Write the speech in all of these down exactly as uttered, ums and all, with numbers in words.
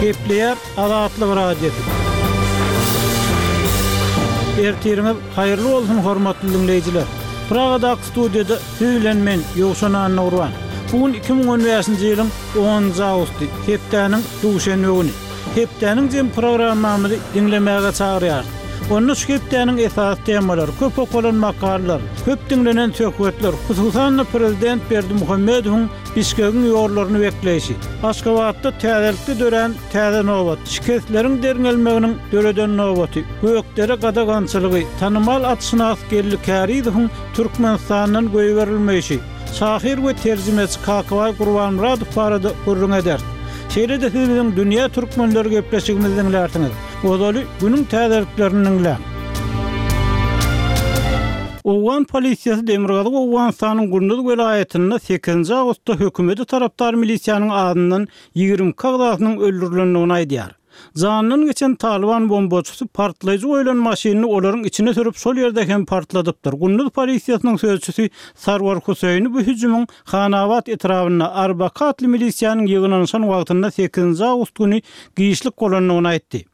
Gepleýär Azatlyk Radiosy. Ertiriňiz haýyrly bolsun hormatly diňleýjiler. Pragadaky studiýada siz bilen men Ýowşan Annagurban. Bu gün iki müň on bäşinji ýylyň onunjy awgusty, hepdäniň duşenbe güni. Hepdäniň jem programmamyzy diňlemäge çagyrýarys. Onda şu hepdäniň esasy temalary, köp okalan makalalar, köp diňlenen söhbetler, hususan-da prezident Berdimuhamedowyň Bişkegiň ýollaryny bekleýşi, Aşgabatda täzelikde dörän täze nobat, şikesleriň derňelmeginiň döreden nobaty, Gökdere gadagançylygy, tanymal atşynas Geldi Kärizowyň Türkmenistandan goýberilmeýşi, şahyr we terjimeçi Kakabaý Gurbanmyradow barada gürrüň ederis. Şeýle-de siz biziň Dünýä türkmenleri gepleşigimizi diňlärsiňiz. Ozaly günüň täzeliklerini diňläň. Owgan polisiýasy Demirgazyk Owganystanyň Gunduz welaýatynda sekizinji awgustda hökümete tarapdar milisiýanyň adyndan ýigrimi iki agzasynyň öldürilendigini aýdýar. Janyndan geçen Talyban bombaçysy partlaýjy goýlan maşynyny olaryň içine sürüp, şol ýerde hem partladypdyr. Gunduz polisiýasynyň sözçüsi Sarwar Huseýni bu hüjümiň Hanabat etrabynda Arbaka atly milisiýanyň ýygnanyşan wagtynda sekizinji awgust güni giçlik bolandygyny aýtdy.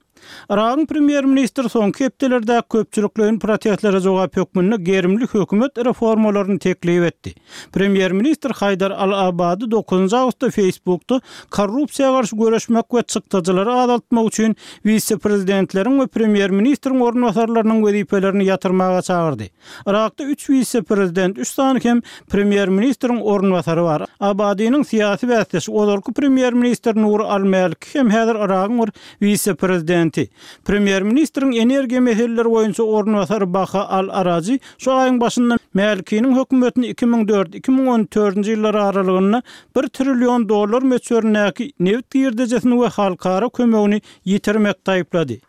Yragyň premýer-ministri soňky hepdelerdäki köpçülikleýin protestlere jogap hökmünde gerimli hökümet reformalaryny teklip etdi. Premýer-ministr Haýdar al-Abady dokuzynjy awgustda Facebookda korrupsiýa garşy göreşmek we çykdajylary azaltmak üçin wise-prezidentleriň we premýer-ministriň orunbasarlarynyň wezipelerini ýatyrmaga çagyrdy. Yrakda üç wise-prezident, üç sany hem premýer-ministriň orunbasary bar. Abadynyň syýasy bäsdeşi, ozalky premýer-ministr Nuri al-Mäliki hem häzir Yragyň bir wise-prezidenti. Premýer-ministriň energiýa meseleleri boýunça orunbasary Baha al-Araji şu aýyň başynda Mälikiniň hökümetini iki müň dört, iki müň on dördünji ýyllar aralygynda bir trillion dollar möçberindäki nebit girdejesini we halkara kömegini ýitirmekde aýyplady.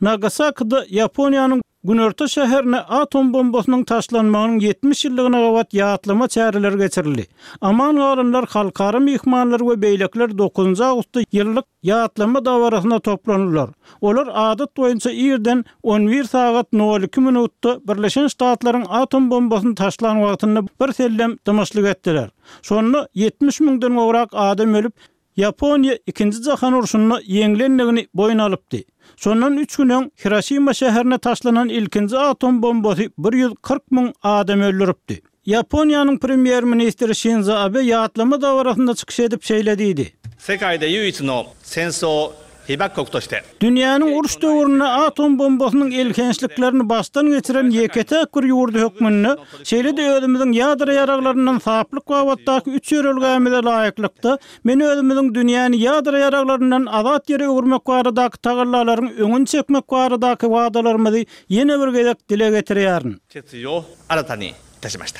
Nagasakida Ýaponiýanyň günorta şäherine atom bombasynyň taşlanmagynyň ýetmiş ýyllygyna gabat ýatlama çäreleri geçirildi. Aman galanlar, halkara myhmanlar we beýlekiler dokuzynjy awgustda ýyllyk ýatlama dabarasyna toplandylar. Olar adat boýunça irden on bir sagat nol iki minutda Birleşen Ştatlaryň atom bombasyny taşlan wagtynda bir sellem dymyşlyk etdiler. Şonda ýetmiş müňden gowrak adam ölüp, Ýaponiýa ikinji jahan urşunda ýeňlendigini boýun alypdy. Şondan üç gün öň Hiroşima şäherine taşlanan ilkinji atom bombasy bir ýüz kyrk müň adam öldüripdi. Ýaponiýanyň premýer-ministri Şinzo Abe ýatlama dabarasynda çykyş edip şeýle diýdi. Sekai de ýuichi no senso hibakoku toşite. Dünýäniň uruş döwründe atom bombasynyň elhençliklerini başdan geçiren ýeke-täk bir ýurdy hökmünde, şeýle-de özümiziň ýadro ýaraglaryndan saplyk babatdaky üç ýörelgämize laýyklykda, men özümiziň dünýäni ýadro ýaraglaryndan azat ýere öwürmek baradaky tagallalaryň öňüni çekmek baradaky wadalarymyzy ýene bir gezek dile getirýärin. Ketsuýo aratani itaşimaşita.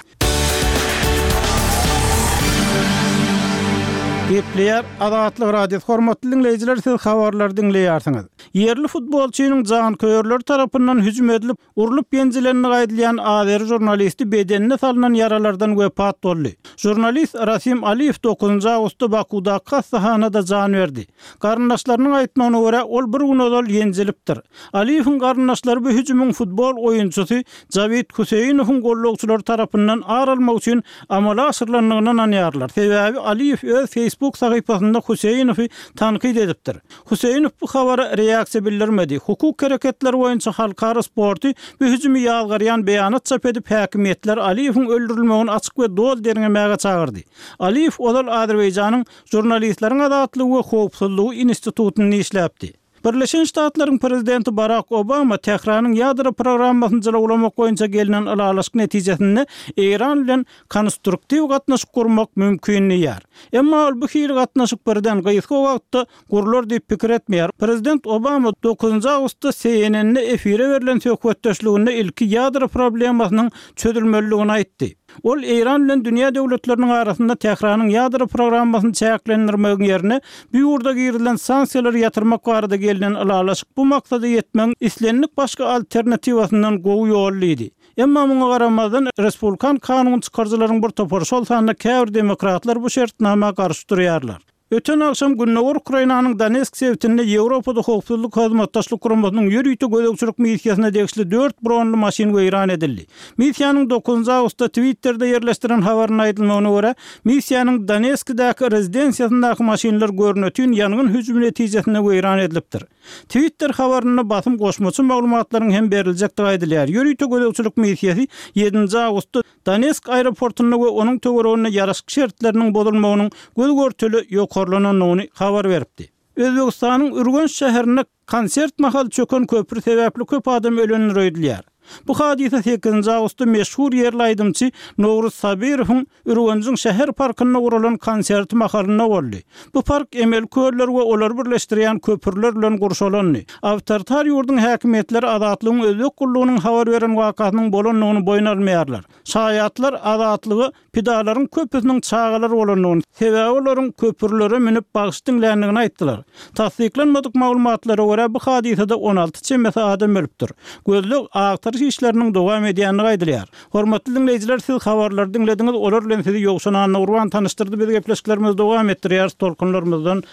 Gepleýär Azatlyk Radiosy. Hormatly diňleýjiler, siz habarlary diňleýärsiňiz. Ýerli futbolçynyň janköýerleri tarapyndan hüjüm edilip, urlup ýenjilendigi aýdylýan azeri žurnalisti bedenine salnan ýaralardan wepat boldy. Žurnalist Rasim Aliýew dokuzynjy awgustda Bakudaky hassahanada jan berdi. Garyndaşlarynyň aýtmagyna görä, ol bir gün ozal ýenjilipdir. Aliýewiň garyndaşlary bu hüjümiň futbol oýunçysy Jawid Huseýnowyň gollagçylary tarapyndan ar almak üçin amala aşyrylandygyna ynanýarlar. Sebäbi Aliýew öz Facebook sahypasynda Huseýnowy tankyt edipdir. Huseýnow bu habara reaksiýa bildirmedi. Hukuk hereketleri boýunça halkara sporty bu hüjümi ýazgarýan beýanat çap edip, häkimiýetler Aliýewiň öldürilmegini açyk we doly derňemäge çagyrdy. Aliýew ozal Azerbaýjanyň Žurnalistleriň azatlygy we howpsuzlygy institutynda işläpdi. Birleşen Ştatlaryň prezidenti Barak Obama Tähranyň ýadro programmasyny jylawlamak boýunça gelnen ylalaşyk netijesinde Eýran bilen konstruktiw gatnaşyk gurmak mümkin diýýär. Emma ol bu hili gatnaşyk birden gysga wagtda gurlar diýip pikir etmeýär. Prezident Obama dokuzynjy awgustda C N N-de efire berlen söhbetdeşliginde ilki ýadro problemasynyň çözülmelidigini aýtdy. Ol Eýran bilen dünýä döwletleriniň arasynda Tähranyň ýadro programmasyny çäklendirmegiň ýerine bu ýurda girizilen sanksiýalary ýatyrmak barada gelnen ylalaşyk bu maksada ýetmegiň islendik başga alternatiwasyndan gowy ýol diýdi. Emma muňa garamazdan respublikan kanun çykaryjylaryň bir topary, şol sanda käbir demokratlar bu şertnama garşy durýarlar. Öten agşam gündogar Ukrainanyň Donetsk sebitinde Ýewropada Howpsuzlyk Hyzmatdaşlyk Guramasynyň ýörite gözegçilik missiýasyna degişli dört bronly maşyn weýran edildi. Missiýanyň dokuzynjy awgustda Twitterde ýerleşdiren habarynda aýdylmagyna görä, missiýanyň Donetskdäki rezidensiýasyndaky maşynlar görnetin ýangyn hüjümi netijesinde weýran edilipdir. Twitter habarynda basym goşmaça maglumatlaryň hem beriljekdigi aýdylýar. Ýörite gözegçilik missiýasy ýedinji awgustda Donetsk aeroportunda we onuň töwereginde ýaraşyk şertleriniň bozulmagynyň göz-görtele ýokarlanandygyny habar beripdi. Özbegistanyň Ürgenç şäherinde konsert mahaly çöken köpri sebäpli köp adam ölendir öýdülýär. Bu hadysa sekizinji awgustda meşhur ýerli aýdymçy Nowruz Sabirowyň Ürgenjiň şäher parkynda guralan konserti mahalynda boldy. Bu park emeli köller we olary birleşdirýän köprüler bilen gurşalandy. Awtoritar ýurduň häkimiýetleri Azatlygyň özbek gullugynyň habar beren wakasynyň bolandygyny boýun almaýarlar. Şaýatlar Azatlyga pidalaryň köpüsiniň çagalar bolandygyny, sebäbi olaryň köprülere münüp bagşy diňländigini aýtdylar. Tassyklanmadyk maglumatlara görä, bu hadysada on alty çemesi adam ölüpdir. Gözleg agtaryş işleriniň dowam edýändigi aýdylýar. Hormatly diňleýjiler, siz habarlary diňlediňiz, olar bilen sizi Ýowşan Annagurban tanyşdyrdy. Biz gepleşiklerimizi dowam etdirýäris, tolkunlarymyzdan